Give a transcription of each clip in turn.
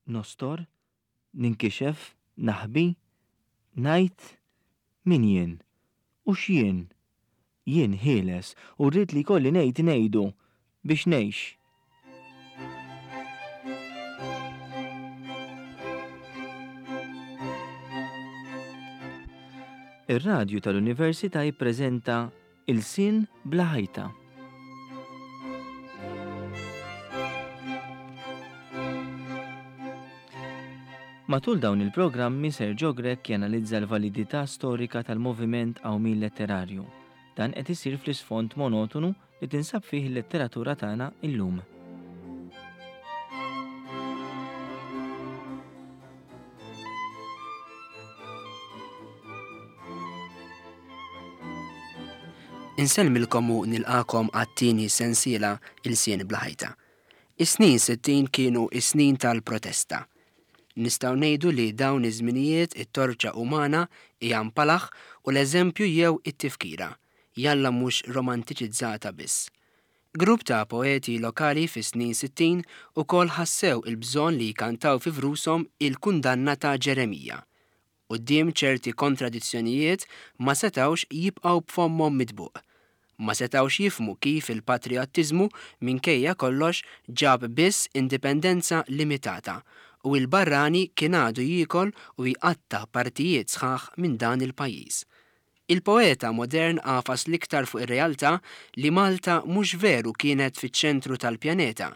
Nostor, ninkixef, naħbi, ngħid, min jien? U x'jien? Jien ħieles u rrid li jkolli ngħid ngħidu biex ngħix. Ir-radju tal-Università jippreżenta Ilsien bla ħajta. Matul dawn il-programmi Sergio Grech janalizza l-validità storika tal-moviment qawmien letterarju. Dan qed isir fl-isfond monotonu li tinsab fih il-letteratura tagħna illum. Insellmilkom u nilqagħkom għat-tieni sensiela Ilsien Bla Ħajta. Is-snin 60 kienu s-snin tal-protesta. Nistgħu ngħidu li dawn iż-żminijiet it-torċa umana hija mpalaħ u l-eżempju jew it-tifkira, jalla mhux romantiċizzata biss. Grupp ta' poeti lokali fis-snin 60 ukoll ħassew il-bżonn li jkantaw fi vrushom il-kundanna ta' Ġeremija. Quddiem ċerti kontradizzjonijiet ma setgħux jibqgħu b'fommhom mitbuq. Ma setgħux jifhmu kif il-patrijottiżmu minkejja kollox ġab biss indipendenza limitata u il-barrani kien għadu jiekol u jqatta' partijiet sħaħ minn dan il-pajjiż. Il-poeta modern għafas l-iktar fuq ir-realtà li Malta mhux veru kienet fiċ-ċentru tal-pjaneta.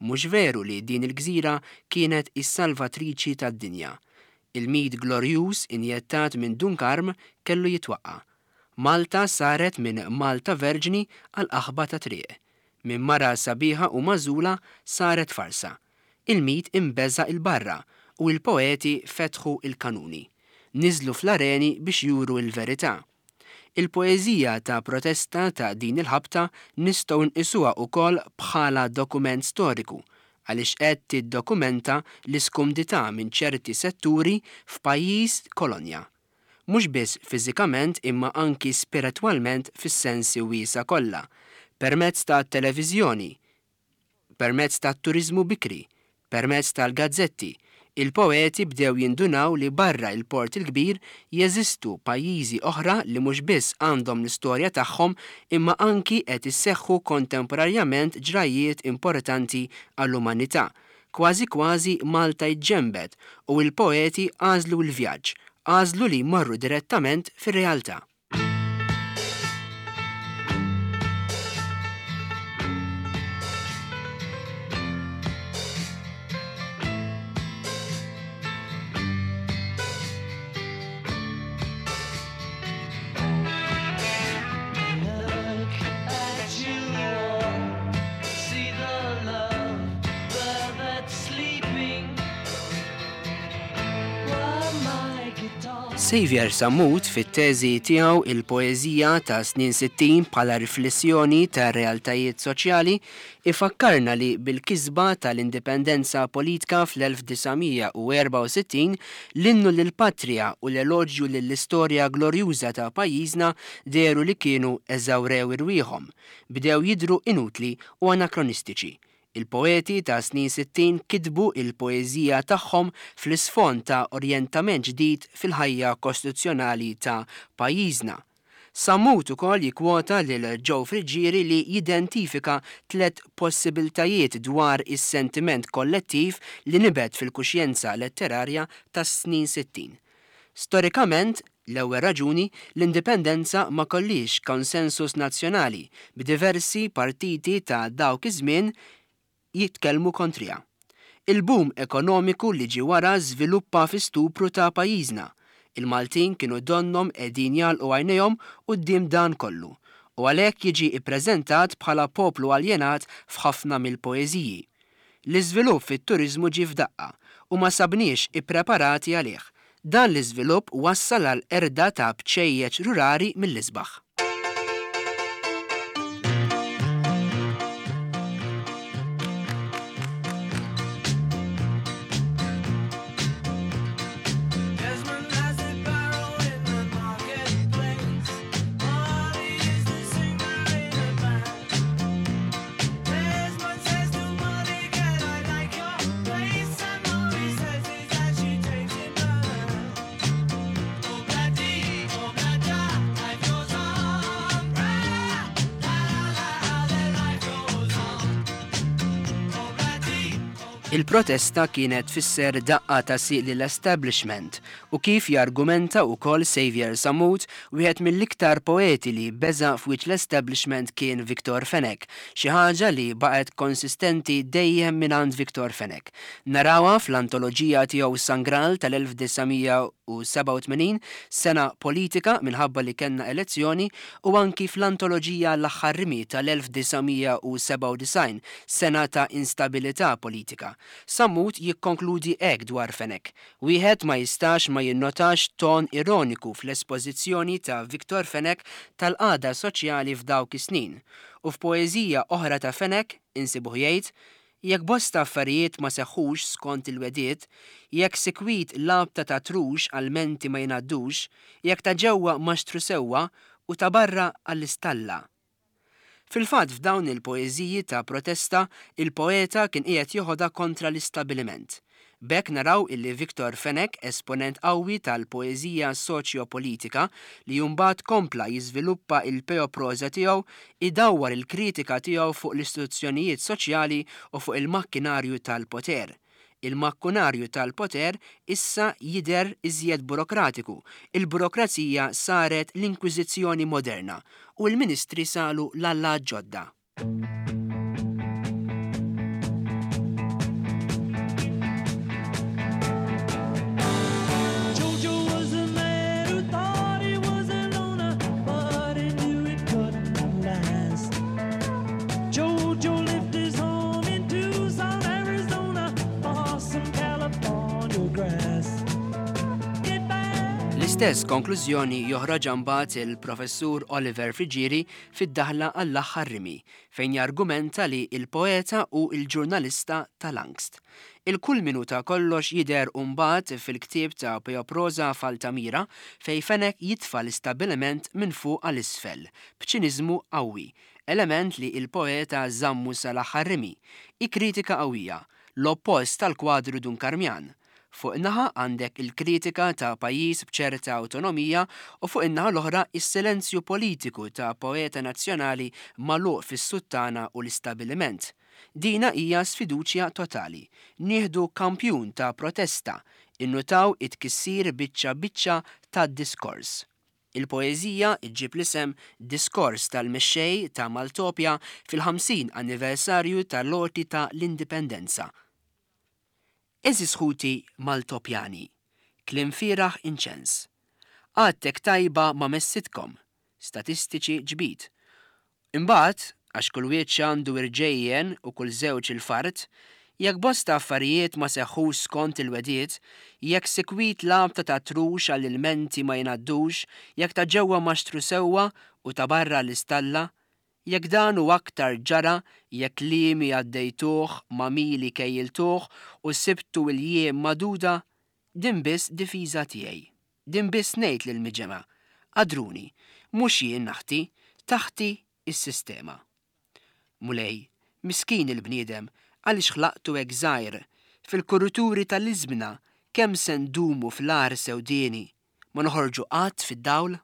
Mhux veru li din il-gżira kienet is-salvatriċi tad-dinja. Il-mit glorjuż injettat minn Dun Karm kellu jitwaqqa'. Malta saret minn Malta Verġni għal qaħba ta' triq. Minn mara sabiħa u magħżula saret farsa. Il-mit inbeża' 'il barra u il-poeti fetħu l-kanuni. Niżlu fl-areni biex juru l-verità. Il-poeżija ta' protesta ta' din il-ħabta nistgħu nqisuha ukoll bħala dokument storiku għaliex qed tiddokumenta l-iskumdità minn ċerti setturi f'pajjiż kolonja. Mhux biss fiżikament imma anki spiretwalment fis-sensi wiesgħa kollha, permezz tat-televiżjoni, Permezz tat-turiżmu bikri, permezz tal-gazzetti, il-poeti bdew jindunaw li barra il-Port il-Kbir jeżistu pajjiżi oħra li mhux biss għandhom l-istorja tagħhom imma anki qed isseħħu kontemporarjament ġrajjiet importanti għall-umanità. Kważi kważi Malta ġġenbet u il-poeti għażlu l-vjaġġ, għażlu li jmorru direttament fir-realtà. Saviour Sammut fit-teżi tiegħu Il-Poeżija ta' Snin 60 bħala riflessjoni tar-realtajiet soċjali ifakkarna li bil-kisba tal-indipendenza politka fl-1964 l-innu lill-patrija u l-eloġju lill-istorja glorjuża ta' pajjiżna dehru li kienu eżawrew irwieħhom, bdew jidhru inutli u anakronistiċi. Il-poeti ta' snin 60 kitbu il-poeżija tagħhom fl-isfond ta' orjentament ġdid fil-ħajja kostituzzjonali ta' pajjiżna. Sammut ukoll jikkwota lil Joe Friggieri li jidentifika tlett possibiltajiet dwar is-sentiment kollettiv li nibet fil-kuxjenza letterarja tas-snin 60. Storikament, l-ewwel raġuni, l-indipendenza ma kollhiex konsensus nazzjonali, b'diversi partiti ta' dawk iż-żmien jitkellmu kontriha. Il-boom ekonomiku li ġie wara żviluppa fi stupru ta' pajjiżna. Il-Maltin kienu donnhom qegħdin jagħlqu għajnejhom quddiem dan kollu, u għalhekk jiġi ppreżentat bħala poplu aljenat f'ħafna mill-poeżiji. L-iżvilupp fit-turiżmu ġie f'daqqa u ma sabniex ippreparati għalih. Dan l-iżvilupp wassal għall-qerda ta' bċejjeċ rurali mill-isbaħ. Il-protesta kienet tfisser daqqa ta' sieq lill-establishment u kif jargumenta wkoll Saviour Sammut, wieħed mill-iktar poeti li beża' f'wiċċ l-establishment kien Victor Fenech, xi ħaġa li baqgħet konsistenti dejjem mingħand Victor Fenech. Narawha fl-antoloġija tiegħu Sangral tal-1987, sena politika minħabba li kellna elezzjoni, u anki fl-antoloġija L-Aħħar Rimi tal-1997, sena ta' instabilità politika. Sammut jikkonkludi hekk dwar Fenech, Wieħed ma jistax ma jinnotax ton ironiku fl-espożizzjoni ta' Victor Fenech tal-qagħda soċjali f'dawk is-snin. U f'poeżija oħra ta' Fenech insibuh jgħid, Jekk bosta affarijiet ma seħħux skont il-wegħdiet, jekk sikwit l-għabta ta' trux għall-menti ma jingħaddux, jekk ta' ġewwa maxtru sewwa u ta' barra għall-istalla. Fil-fatt f'dawn il-poeżiji ta' protesta il-poeta kien qiegħed joħodha kontra l-istabiliment. B'hekk naraw illi Victor Fenech, esponent qawwi tal-poeżija soċjo-politika, li mbagħad kompla jiżviluppa il-peoproża tiegħu, idawwar il-kritika tiegħu fuq l-istituzzjonijiet soċjali u fuq il-makkinarju tal-poter. Il-makkunarju tal-poter issa jidher iżjed burokratiku, il-burokrazija saret l-inkwiżizzjoni moderna u l-ministri salu l-allat ġodda. L-istess konklużjoni joħroġha mbagħad il-Professur Oliver Friggieri fid-daħla għall-aħħar rimi, fejn jargumenta li l-poeta hu l-ġurnalista tal-angst. Il-kulminu ta' kollox jidher mbagħad fil-ktieb ta' Peoprosa f'Altamira fejn Fenech jitfa' l-istabbiliment minn fuq għal isfel, b'ċiniżmu qawwi, element li l-poeta żammu sal-aħħar rimi. Hi kritika qawwija, l-oppost tal-kwadru Dun Karmjan. Fuq naħa għandek il-kritika ta' pajjiż b'ċerta awtonomija u fuq in-naħa l-oħra is-silenzju politiku ta' poeta nazzjonali magħluq fis-suttana u l-istabiliment. Dina hija sfiduċja totali. Nieħdu kampjun ta' protesta, innutaw it-tkissir biċċa biċċa tad-diskors. Il-poeżija ġġib l-isem Diskors tal-Mexxej ta' Maltopja fil-50 anniversarju tal-għoti ta' l-Indipendenza. Għeżież ħuti Maltopjani, kliem fieragħ inċens. Għadtek tajba ma messitkom, statistiċi ġbid. Imbagħad, għax kull wiċċ għandu irġejjen u kull żewġ il-fard, jekk bosta affarijiet ma seħħux skont il-wegħdiet, jekk sikwit l-għabta ta' trux għall-ilmenti ma jingħaddux, jekk ta' ġewwa maxtru sewwa u ta' barra l-istalla, Jekk dan u aktar ġara, jekk kliemi għaddejtuh, ma' mili kejjiltuh u sibtu l-jiem magħduda, din biss difiża tiegħi. Din biss ngħid lill-miġemgħa, Għadruni, mhux jien naħti, taħti s-sistema. Mulej, miskin il-bniedem, għaliex ħlaqtu hekk żgħir, fil-kurituri tal-iżmna kemm se ndumu fl-għar sewdieni, ma noħorġu qatt fid-dawl?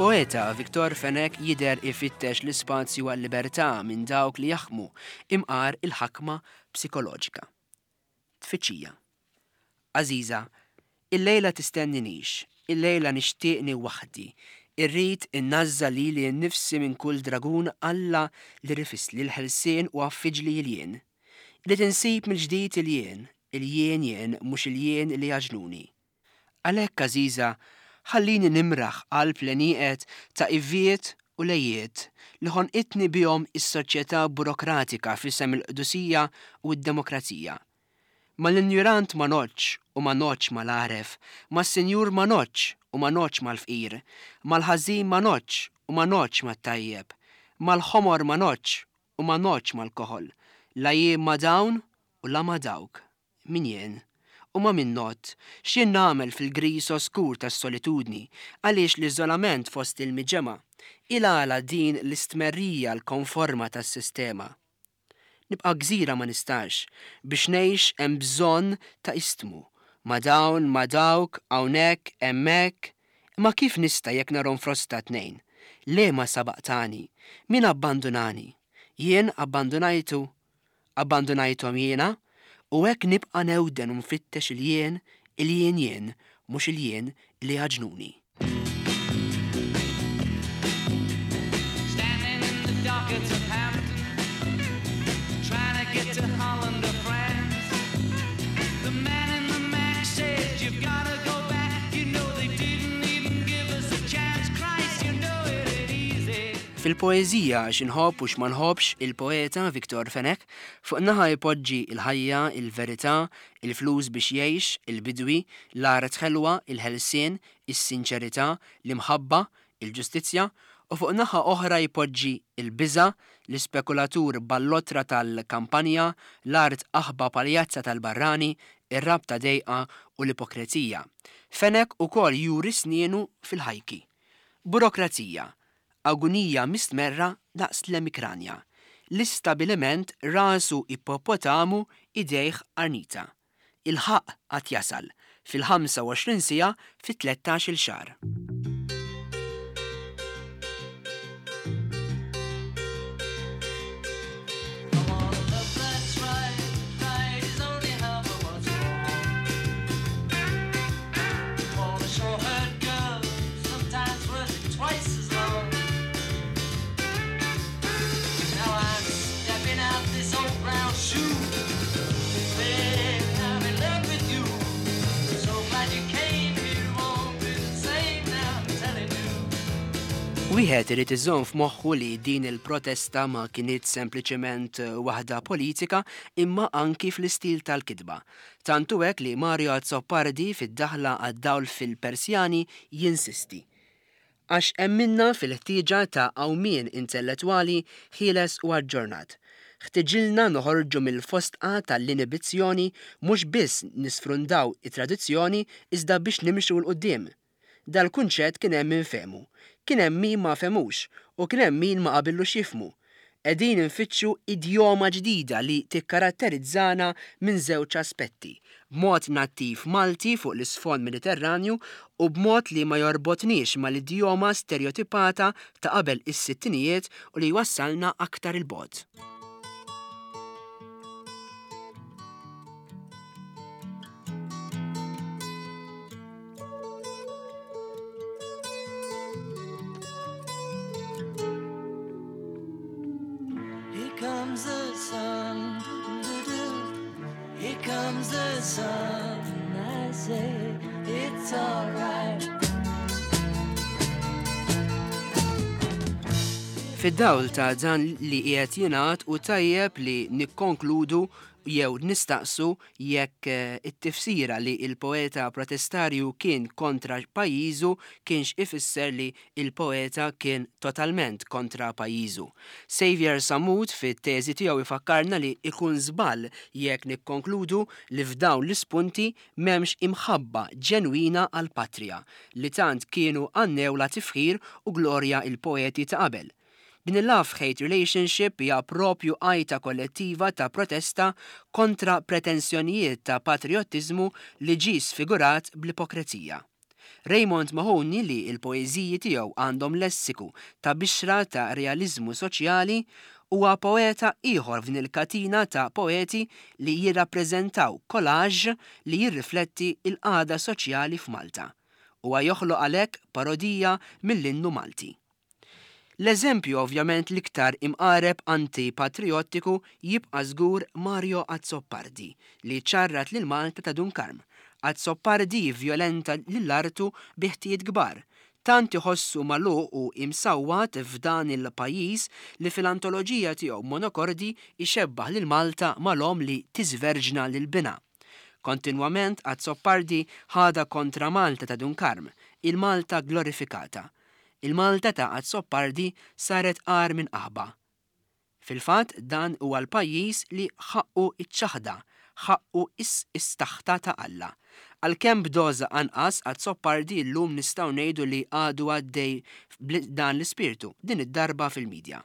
Il-poeta Victor Fenech jidher ifittex l-ispazju għal-libertà minn dawk li jaħkmu, imqar il-ħakma psikoloġika. Tfittxija. Għażiża, illejla tistenninix, illejla nixtieqni waħdi, irrid innażża' lili nnifsi minn kull dragun Alla li rifisli l-ħelsien u għaffiġli l-jien. Irrid insib mill-ġdid il-jien, il-jien jien mhux il-jien li għaġnuni. Għalhekk, għażiża, ħallini nimraħ qalb l-għenieqed ta' iviet u lejiet li ħonqitni bihom is-soċjetà burokratika f'isem il-qdusija u d-demokrazija. Mal-injurant ma ngħoddx u ma ngħoddx mal-għaref, mas-sinjur ma ngħoddx u ma ngħoddx mal-fqir, mal-ħażin ma ngħoddx u ma ngħoddx mat-tajjeb, mal-ħomor ma ngħoddx u ma ngħoddx mal-koħol, la jien ma' dawn u la ma' dawk. Min jien? U ma' min ngħodd? X'jien nagħmel fil-griż oskur tas-solitudni? Għaliex l-iżolament fost il-miġemgħa? Il-għala din l-istmerrija l-konforma tas-sistema? Nibqa' gżira ma nistax. Biex ngħix hemm bżonn ta' istmu. Ma' dawn, ma' dawk, hawnhekk, hemmhekk. Imma kif nista' jekk narhom frosta tnejn? Liema sabaqtani? Min abbandunani? Jien abbandunajtu? Abbandunajthom jiena? U hekk nibqa' newden u nfittex il-jien, il-jien jien, mhux il-jien li għaġnuni. Standing in the dockets of Hampton, trying to get to Holland or France. The man in the Mac says you've gotta go back. You know they didn't even give us a chance. Christ, you know it ain't easy. Fil-poeżija X'inħobb u x'ma nħobbx il-poeta Victor Fenech fuq naħa jpoġġi l-ħajja, il-verità, il-flus biex jgħix, il-bidwi, l-art ħelwa, il-ħelsien, is-sinċerità, l-imħabba, il-ġustizzja, u fuq naħa oħra jpoġġi l-biża', l-ispekulatur ballotra tal-kampanja, l-art qaħba paljazza tal-barrani, ir-rabta dejqa u l-ipokrezija. Fenech ukoll juri snienu fil-ħajki. Burokrazija, Agunija mistmerra daqs l-emikranja. L-istabiliment rasu ippopotamu idejh qarnita. Il-ħaqq għad jasal, fil-25 siegħa fi 13-il xahar. Wieħed irid iżomm f'moħħu li din il-protesta ma kinitx sempliċement waħda politika imma anki fl-istil tal-kitba. Tant hu hekk li Mario Azzopardi fid-daħla għad-dawl fil-Persjani jinsisti. Għax emminna fil-ħtieġa ta' qawmien intellettwali ħieles u aġġornat. Ħtiġilna noħorġu mill-fosdqa tal-inibizzjoni mhux biss nisfrundaw it-tradizzjoni iżda biex nimxu 'l quddiem. Dal-kunċett kien hemm min fehmu, kien hemm min ma fehmux u kien hemm min ma qabillux jifhmu. Qegħdin infittxu idjoma ġdida li tikkaratterizzana minn żewġ aspetti, b'mod nattiv Malti fuq l-isfond Mediterranju u b'mod li ma jorbotniex mal-idjoma sterjotipata ta' qabel is-sittinijiet u li jwassalna aktar 'il bogħod. Here comes the sun, Here comes the sun, I say it's alright. Fid-dawl ta' dan li qiegħed jingħad hu tajjeb li nikkonkludu jew nistaqsu jekk it-tifsira li l-poeta protestarju kien kontra pajjiżu kienx ifisser li l-poeta kien totalment kontra pajjiżu. Saviour Sammut fit-teżi tiegħu jfakkarna li ikun żball jekk nikkonkludu li f'dawn l-ispunti m'hemmx imħabba ġenwina għall-patrija li tant kienu għannewlha tifħir u glorja l-poeti ta' qabel. Din il-love-hate relationship hija proprju għajta kollettiva ta' protesta kontra pretensjonijiet ta' patrijottiżmu li ġie sfigurat bl-ipokrezija. Raymond Mahoney li l-poeżiji tiegħu għandhom lessiku ta' bixra ta' realiżmu soċjali huwa poeta ieħor f'din il-katina ta' poeti li jirrappreżentaw collage li jirrifletti l-qagħda soċjali f'Malta. Huwa joħloq għalhekk parodija mill-innu Malti. L-eżempju ovvjament l-iktar imqareb anti-patrijottiku jibqa' żgur Mario Azzopardi li ċarrat lil Malta ta' Dun Karm. Azzopardi jivvjolenta lil artu bi ħtijiet kbar. Tant iħossu magħluq u imsawwat f'dan il-pajjiż li fil-antoloġija tiegħu Monokordi jxebbah lil Malta mal-omm li tiżverġna lil binha. Kontinwament Azzopardi ħadha kontra Malta ta' Dun Karm, il-Malta glorifikata. Il-Malta ta' Azzopardi saret agħar minn qaħba. Fil-fatt dan huwa l-pajjiż li ħaqqu ċ-ċaħda. Ħaqqu is-taħta ta' Alla. Għalkemm b'doża anqas, Azzopardi llum nistgħu ngħidu li għadu għaddej b'dan l-ispirtu, din id-darba fil-midja.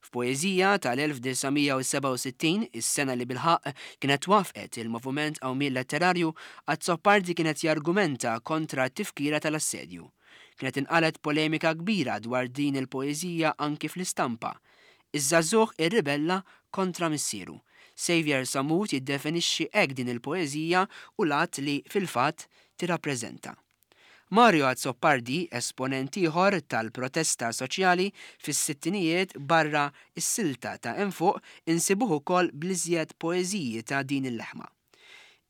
F'poeżija tal-1967, is-sena li bilħaqq kienet twaffqet il-Moviment Qawmien Letterarju, Azzopardi kien qed jargumenta kontra t-tifkira tal-assedju. Kienet inqalgħet polemika kbira dwar din il-poeżija anki fl-istampa. Iż-żagħżugħ irribella kontra missieru. Saviour Sammut jiddefinixxi hekk din il-poeżija u l-att li, fil-fatt, tirrappreżenta. Mario Azzopardi, esponent ieħor tal-protesta soċjali fis-sittinijiet barra s-silta ta' hemm fuq insibuh ukoll bl-iżjed poeżiji ta' din il-leħma.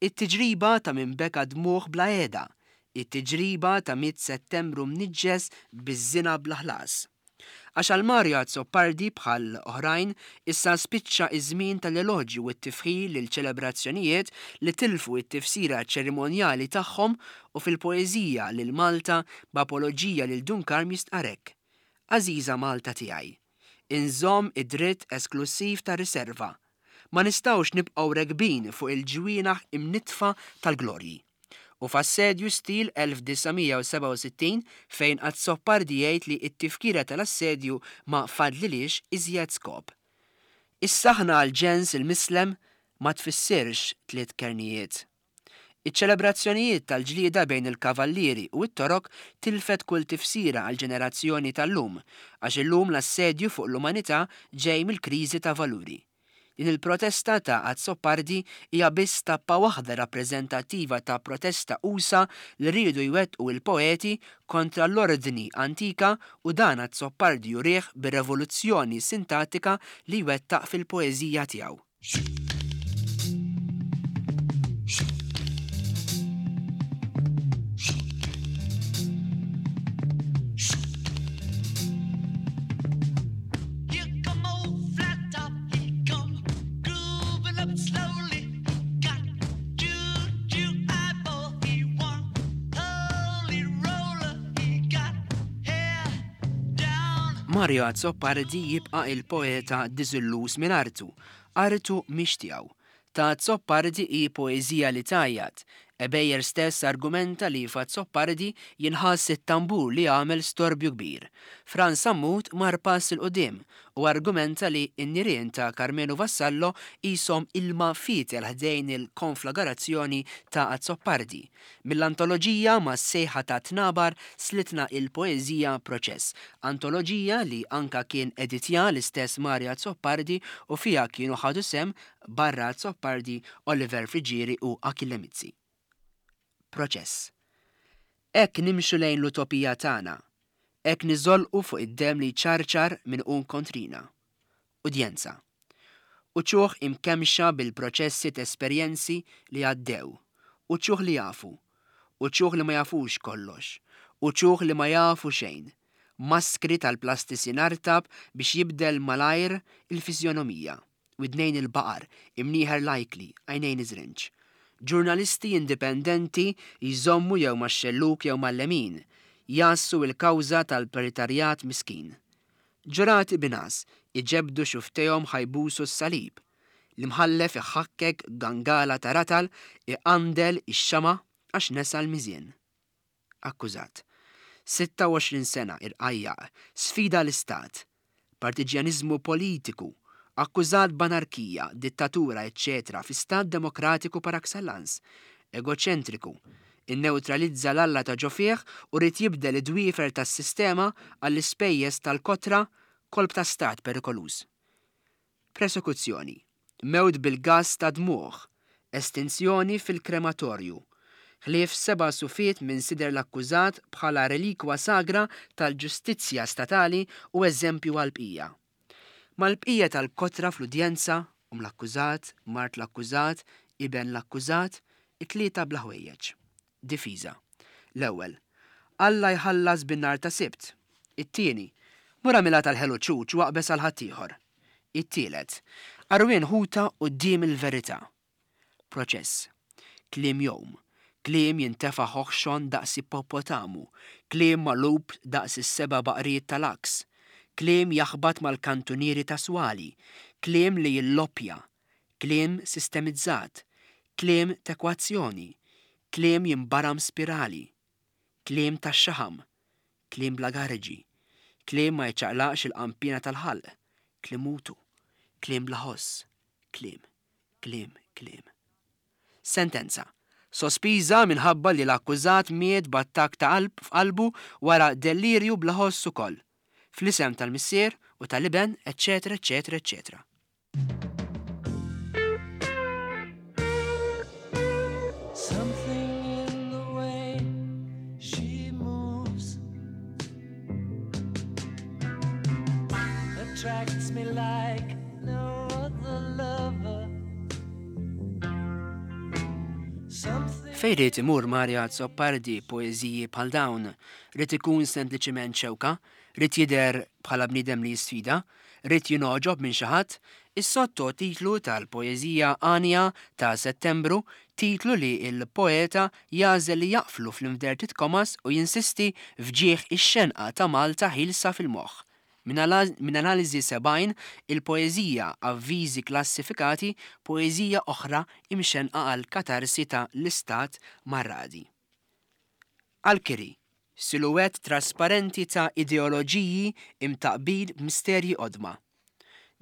It-tiġriba ta' min beka dmugħ bla heda, it-tiġriba ta' miet Settembru mniġġes biż-żina bla ħlas. Għax għal Mario Azzopardi, bħal oħrajn, issa spiċċa ż-żmien tal-eloġju u t-tifħir lil ċelebrazzjonijiet li tilfu t-tifsira ċerimonjali tagħhom u fil-poeżija Lil Malta b'apoloġija lil Dun Karm jistqarr hekk, Għażiża Malta tiegħi, inżomm id-dritt esklussiv tar-riserva. Ma nistgħux nibqgħu rekbin fuq il-ġwienaħ imnittfa tal-glorji. U f'Assedju stil 1967 fejn Azzopardi jgħid li t-tifkira tal-assedju ma fadlilhiex iżjed skop. Is-saħna għall-ġens il-mislem ma tfissirx tliet kernijiet. Iċ-ċelebrazzjonijiet tal-ġlieda bejn il-kavallieri u t-Torok tilfet kull tifsira għall-ġenerazzjoni tal-lum, għax illum l-assedju fuq l-umanità ġej mill-kriżi ta' valuri. Din il-protesta ta' Azzopardi hija biss tappa waħda rappreżentattiva ta' protesta usa' li riedu jwettqu il-poeti kontra l-ordni antika u dan Azzopardi jurih bir-revoluzzjoni sintattika li jwettaq fil-poeżija tiegħu. Mario Azzopardi jibqa' il-poeta diżilluż minn artu. Artu mhix tiegħu. Ta' Azzopardi hi poeżija li tgħajjat. Ebejer stess argumenta li f'Azzopardi jinħass it-tambur li għamel storbju kbir. Frans Sammut mar pass 'il quddiem u argumenta li n-nirien ta' Karmenu Vassallo qishom ilma fietel ħdejn il-konflagarazzjoni ta' Azzopardi. Mill-antoloġija Mas-sejħa tat-tnabar slitna il-poeżija Proċess, antoloġija li anka kien editja l-istess Mario Azzopardi u fiha kienu ħadu sehem barra Azzopardi, Oliver Friggieri u Achille Mizzi. Proċess. Hekk nimxu lejn l-utopija tagħna. Hekk niżolqu fuq id-demm li jċarċar minn hu kontrina. Udjenza. Uċuħ imkemmxa bil-proċessi t'esperjenzi li għaddew. Uċuħ li jafu. Uċuħ li ma jafux kollox. Uċuħ li ma jafu xejn. Maskri tal-plastisin artab biex jibdel malajr il-fiżjonomija. Widnejn il-baqar, imnieħer l-ajkli, għajnejn iż-żrinġ. Ġurnalisti indipendenti jżommu jew max-xellug jew mal-lemin, jgħassu l-kawża tal-proletarjat miskin. Ġurati bingħas iġebbdu xufftejhom ħa jbusu s-salib. L-imħallef iħakkek gangala ta' ratal iqandel ix-xama' għax nesa l-miżien. Akkużat. 26 sena, irqajjaq, sfida l-istat. Partiġjaniżmu politiku, akkużat b'anarkija, dittatura eċċetera fi stat demokratiku par excellence. Egoċentriku. Innewtralizza l-alla ta' ġo fih u ried jibdel id-dwiefer tas-sistema għall-ispejjeż tal-kotra, kolp ta' stat perikoluż. Prosekuzzjoni, mewt bil-gass ta' dmugħ, estinzjoni fil-krematorju, ħlief seba' sufiet minn sider l-akkużat bħala relikwa sagra tal-ġustizzja statali u eżempju għall-bqija. Mal-bqija tal-kotra fl-udjenza, omm l-akkużat, mart l-akkużat, iben l-akkużat, it-tlieta bla ħwejjeġ. Difiża. L-ewwel, Alla jħallas bin-nhar ta' Sibt. It-tieni, Mur agħmilha tal-ħelu ċuċ u aqbeż għal ħaddieħor. It-tielet, Għarwien ħuta quddiem il-verità. Proċess. Kliem jgħum. Kliem jintefa' ħoħxon daqs ippopotamu. Kliem magħlub daqs is-seba' baqriet tal-għaks. Kliem jaħbat mal-kantunieri ta' swali. Kliem li jilloppja. Kliem sistemizzat. Kliem t'ekwazzjoni, kliem jinbaram spirali, kliem tax-xaħam, kliem bla garġi, kliem ma jċaqlaqx il-qanpiena tal-ħalq, kliem mutu, kliem bla ħoss, kliem, kliem, kliem. Sentenza, Sospiża minħabba li l-akkużat miet b'attakk ta' qalb f'qalbu wara dellirju bla ħoss ukoll. Fl-isem tal-Missier u tal-Iben, eċċetera eċċetera eċċetera. Something in the way she moves attracts me like no other lover. Fejn ried imur Mario Azzopardi b'poeżiji bħal dawn? Ried ikun sempliċiment xewka? Ried jidher bħala bniedem li jisfida? Ried jingħoġob minn xi ħadd? Is-sottotitlu tal-poeżija Għanja ta' Settembru, titlu li l-poeta jagħżel li jaqflu fl-inverted commas u jinsisti f'ġieħ ix-xenqa ta' Malta ħielsa fil-moħħ. Minn analiżi 70, il-poeżija Avviżi Klassifikati, poeżija oħra imxennqa għall-katarsi ta' l-istat marradi. Għall-kiri, siluwett trasparenti ta' ideoloġiji imtaqqbin b'misterji qodma.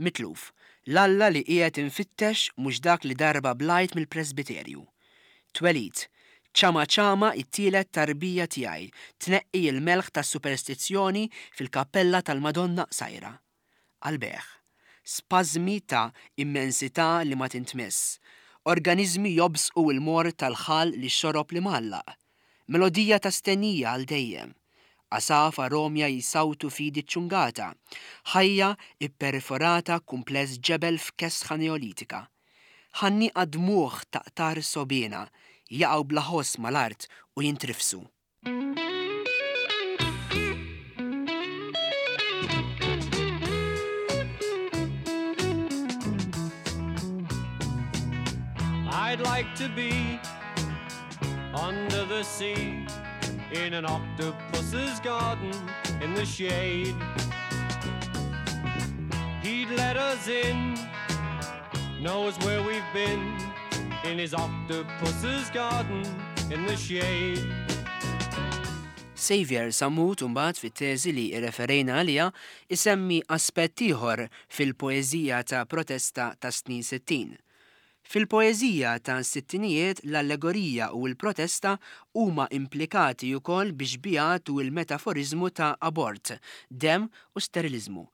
Mitluf, l-Alla li qiegħed infittex mhux dak li darba blajt mill-presbiterju. Twelid, ċama ċama t-tielet tarbija tiegħi tneqqi l-melħ tas-superstizzjoni fil-kappella tal-Madonna Qsajra. Għall-bejgħ. Spażmi ta' immensità li ma tintmiss. Organiżmi jobżqu l-morr tal-ħall li xorob l-imgħallaq. Melodija ta' stennija għal dejjem. Għasafar għomja jsawtu f'idi ċċungata. Ħajja pperforata kumpless ġebel f'kesħa neolitika. Ħannieqa dmugħ ta' qtar sogħbiena jaqgħu bla ħoss mal-art u jintrifsu. I'd like to be under the sea in an octopus's garden in the shade. He'd let us in, knows where we've been in his octopus's garden in the shade. Saviour Sammut imbagħad fit-teżi li rreferejna għaliha isemmi aspett ieħor fil-poeżija ta' protesta tas-snin 60. Fil-poeżija tas-sittinijiet l-allegorija u l-protesta huma implikati ukoll bix-xbihat u l-metaforiżmu ta' abort, demm u steriliżmu.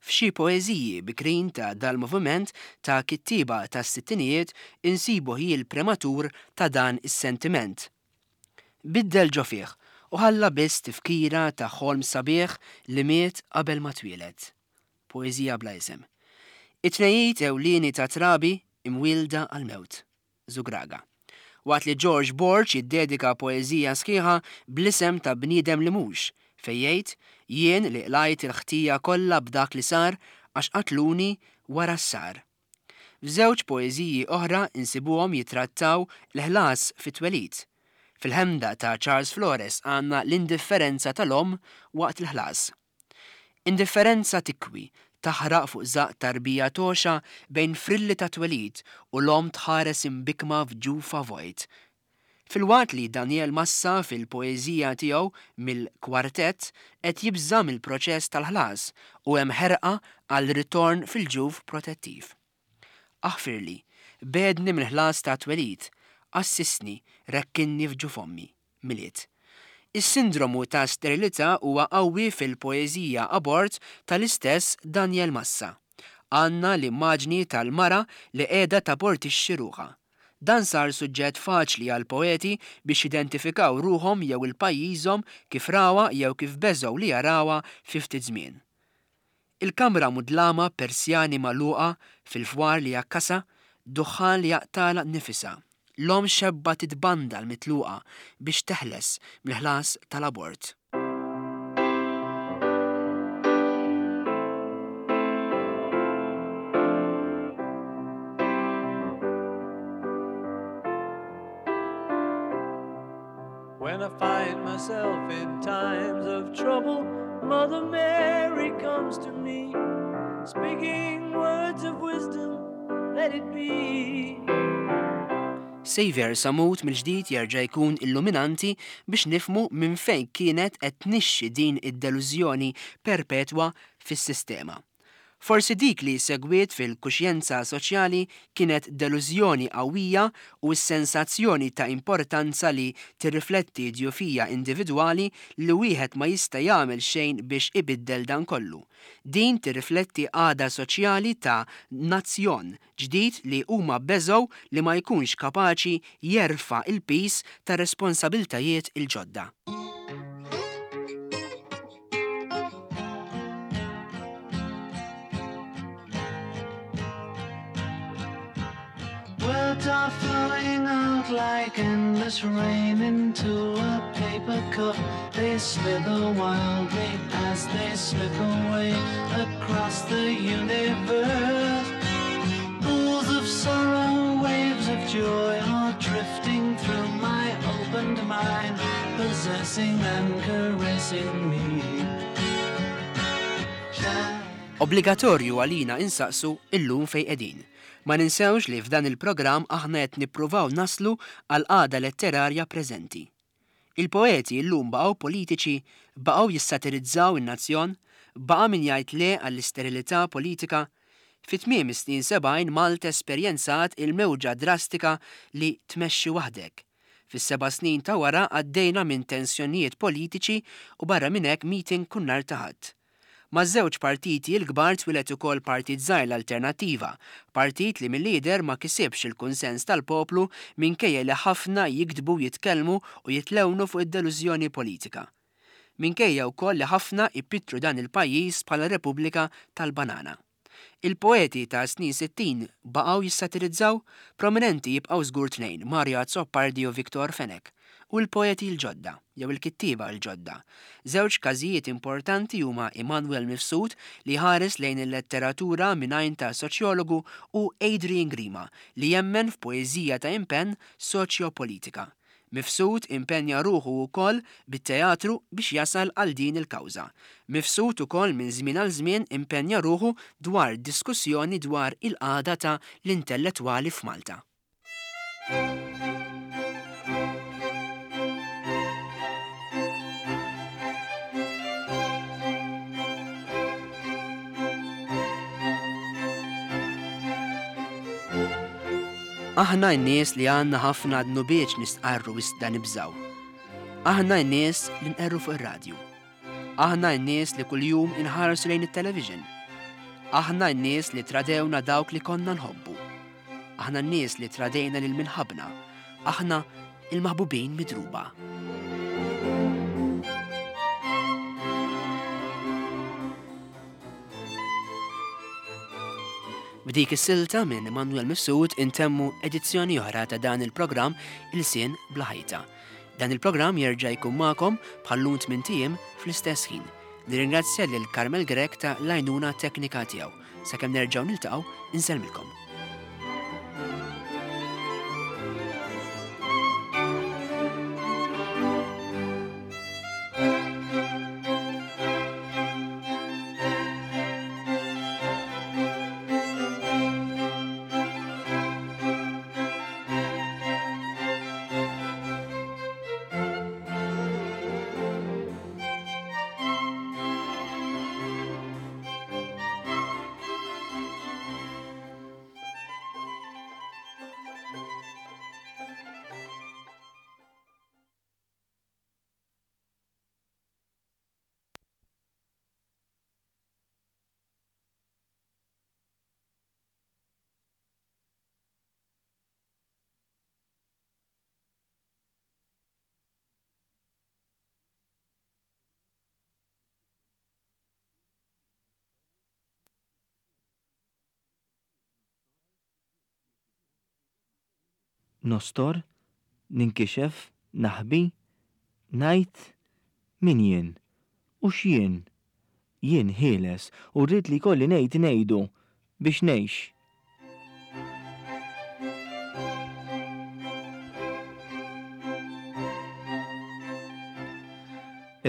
F'xi poeżiji bikrin ta' dal-moviment ta' kittieba tas-sittinijiet insibu ħjiel prematur ta' dan is-sentiment. Biddel ġo fih u ħalla biss tifkira ta' ħolm sabiħ li miet qabel ma twieled. Poeżija bla isem. It-tnejjid ewlieni ta' trabi imwielda għall-mewt. Żugraga. Waqt li George Borg jiddedika poeżija sħiħa bl-isem ta' bniedem li mhux, fejn jgħid, Jien li qlajt il-ħtija kollha b'dak li sar għax qatluni wara s-sar. F'żewġ poeżiji oħra nsibuhom jittrattaw l-ħlas fit-twelid. Fil-Ħemda ta' Charles Flores għandna l-indifferenza tal-omm waqt il-ħlas. Indifferenza tikwi, taħraq fuq żaqq tarbija togħxa bejn frilli ta' twelid u l-omm tħares imbikkma f'ġufha vojt. Filwaqt li Daniel Massa fil-poeżija tiegħu Mill-Kwartett qed jibża' mill-proċess tal-ħlas u hemm ħerqa għal ritorn fil-ġuf protettiv. Aħfirli, begħedni mill-ħlas ta' twelid, għassisni, rekkinni f'ġuf ommi. Milied. Is-sindromu ta' sterilità huwa qawwi fil-poeżija Abort tal-istess Daniel Massa. Għandna l-immaġni tal-mara li qiegħda tabortixxi ruħha. Dan sar suġġett faċli għall-poeti biex jidentifikaw ruħhom jew il-pajjiżhom kif rawha jew kif beżgħu li jarawha fi ftit żmien. Il-kamra mudlama b'persjani magħluqa fil-fwar li jakkasha, duħħan li jaqtagħlha nifisha. L-omm xebba titbandal mitluqa biex teħles mill-ħlas tal-abort. When I find myself in times of trouble, Mother Mary comes to me, speaking words of wisdom, let it be. Saviour Sammut mill-ġdid jerġa' jkun illuminanti biex nifhmu minn fejn kienet qed tnixxi din id-delużjoni perpetwa fis-sistema. Forsi dik li segwiet fil-kuxjenza soċjali kienet delużjoni qawwija u s-sensazzjoni ta' importanza li tirrifletti djufija individwali li wieħed ma jista' jagħmel xejn biex ibiddel dan kollu. Din tirrifletti qagħda soċjali ta' nazzjon ġdid li huma beżgħu li ma jkunx kapaċi jerfa' l-piż tar-responsabiltajiet il-ġodda. Words are flowing out like endless rain into a paper cup. They slither wildly as they slip away across the universe. Pools of sorrow, waves of joy are drifting through my opened mind, possessing and caressing me. Obbligatorju għalina insaqsu illum fejn qegħdin. Ma ninsewx li f'dan il-programm aħna qed nippruvaw naslu għall-qagħda letterarja preżenti. Il-poeti llum baqgħu politiċi, baqgħu jissatirizzaw in-nazzjon, baqa' min jgħid le għall-isterilità politika. Fi tmiem is-snin 70 Malta esperjenzat il-mewġa drastika li tmexxi waħdek. Fis-seba' snin ta' wara għaddejna minn tensjonijiet politiċi u barra minn hekk meeting kull nhar ta' Ħadd. Maż-żewġ partiti l-kbar twieled ukoll partit żgħir l-Alternattiva, partit li milli jidher ma kisibx il-kunsens tal-poplu minkejja li ħafna jiktbu, jitkellmu u jitlewnu fuq id-delużjoni politika. Minkejja wkoll li ħafna jpittru dan il-pajjiż bħala Repubblika tal-Banana. Il-poeti tas-snin 60 baqgħu jissatirizzaw? Prominenti jibqgħu żgur tnejn, Mario Azzopardi u Victor Fenech. U l-poeti l-ġodda, jew il-kittieba l-ġodda. Żewġ każijiet importanti huma Immanuel Mifsud li jħares lejn il-letteratura minn għajn ta' soċjologu u Adrian Grima li jemmen f'poeżija ta' impenn soċjopolitika. Mifsud impenja ruħu wkoll bit-teatru biex jasal għal din il-kawża. Mifsud ukoll minn żmien għal żmien impenja ruħu dwar diskussjoni dwar il-qagħda ta' l-intellettwali f'Malta. Aħna n-nies li għandna ħafna dnubiet nistqarru iżda nibżgħu. Aħna n-nies li nqerru fuq ir-radju. Aħna n-nies li kuljum inħarsu lejn it-television. Aħna n-nies li tradewna dawk li konna nħobbu. Aħna n-nies li tradejna lil minħabna. Aħna il-maħbubin midruba. B'dik is-silta minn Immanuel Mifsud intemmu edizzjoni oħra ta' dan il-programm Ilsien bla ħajta. Dan il-programm jerġa' jkun magħkom bħal-lum tmint ijiem fl-istess ħin. Nirringrazzja lil Carmel Grech ta' l-għajnuna teknika tiegħu. Sakemm nerġgħu niltaqgħu, insellmilkom. Nostor, ninkixef, naħbi, ngħid, min jien, u x'jien? Jien ħieles u rrid li jkolli ngħid ngħidu biex ngħix.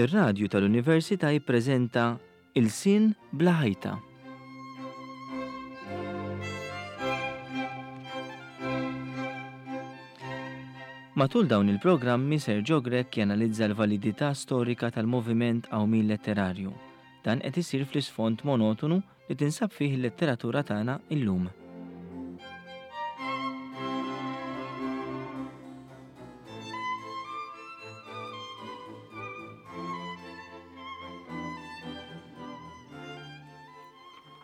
Ir-radju tal-Università jippreżenta Ilsien bla ħajta. Matul dawn il-programmi Sergio Grech janalizza l-validità storika tal-moviment qawmien letterarju. Dan qed isir fl-isfond monotonu li tinsab fih il-letteratura tagħna illum.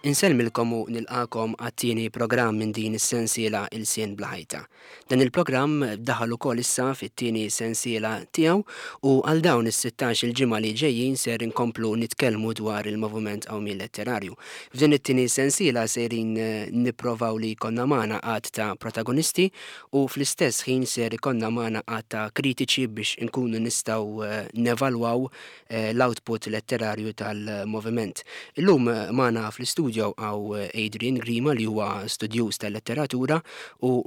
Insellmilkom u nilqagħkom għat-tieni programm minn din is-sensiela Ilsien Bla Ħajta. Dan il-programm daħal ukoll issa fit-tieni sensiela tiegħu u għal dawn is-sittax-il ġimgħa li ġejjin ser inkomplu nitkellmu dwar il-Moviment Qawmien Letterarju. F'din it-tieni sensiela sejrin nipprovaw li jkollna magħna għadd ta' protagonisti u fl-istess ħin ser ikollna magħna għadd ta' kritiċi biex inkunu nistgħu nevalwaw l-output letterarju tal-moviment. Illum magħna fl-istudio hawn Adrian Grima li huwa studjuż tal-letteratura u.